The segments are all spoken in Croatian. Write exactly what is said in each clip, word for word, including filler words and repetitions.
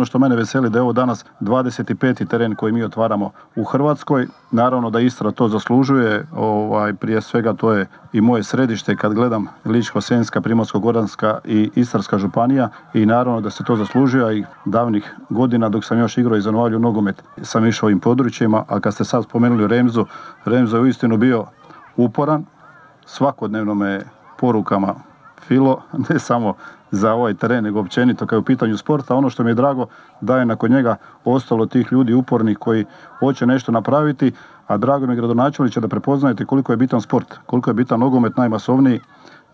ono što mene veseli da je ovo danas dvadeset peti teren koji mi otvaramo u Hrvatskoj. Naravno da Istra to zaslužuje, ovaj, prije svega to je i moje središte kad gledam Ličko-senjska, Primorsko-goranska i Istarska županija i naravno da se to zaslužuje, a i davnih godina dok sam još igrao i za Novalju nogomet sam išao ovim područjima, a kad ste sad spomenuli Remzu, Remza je uistinu bio uporan, svakodnevno me porukama filo, ne samo za ovaj teren, nego općenito kao u pitanju sporta. Ono što mi je drago da je nakon njega ostalo tih ljudi upornih koji hoće nešto napraviti, a drago mi je gradonačelniče da prepoznajete koliko je bitan sport, koliko je bitan nogomet najmasovniji,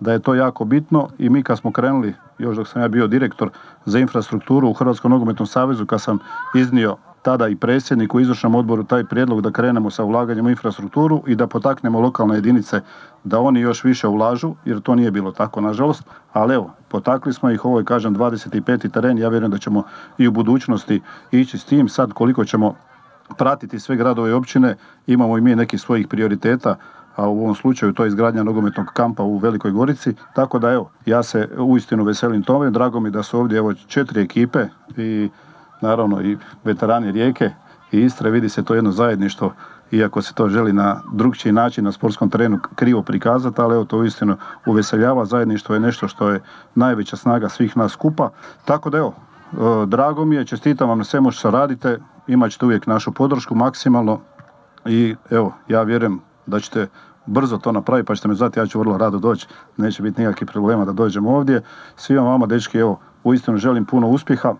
da je to jako bitno i mi kad smo krenuli, još dok sam ja bio direktor za infrastrukturu u Hrvatskom nogometnom savezu, kad sam iznio tada i predsjednik u izvršnom odboru taj prijedlog da krenemo sa ulaganjem u infrastrukturu i da potaknemo lokalne jedinice da oni još više ulažu, jer to nije bilo tako nažalost, ali evo, potakli smo ih, ovo je kažem dvadeset peti teren, ja vjerujem da ćemo i u budućnosti ići s tim, sad koliko ćemo pratiti sve gradove i općine, imamo i mi nekih svojih prioriteta, a u ovom slučaju to je izgradnja nogometnog kampa u Velikoj Gorici, tako da evo, ja se uistinu veselim tome, drago mi da su ovdje evo četiri ekipe i naravno i veterani Rijeke i Istre, vidi se to jedno zajedništvo, iako se to želi na drugčiji način na sportskom terenu krivo prikazati, ali evo to uistinu uveseljava, zajedništvo je nešto što je najveća snaga svih nas skupa, tako da evo, drago mi je, čestitam vam na svemu što radite, imat ćete uvijek našu podršku maksimalno i evo, ja vjerujem da ćete brzo to napraviti, pa ćete me zvati, ja ću vrlo rado doći, neće biti nikakvih problema da dođemo ovdje. Svima vama, dečki, evo, uistinu želim puno uspjeha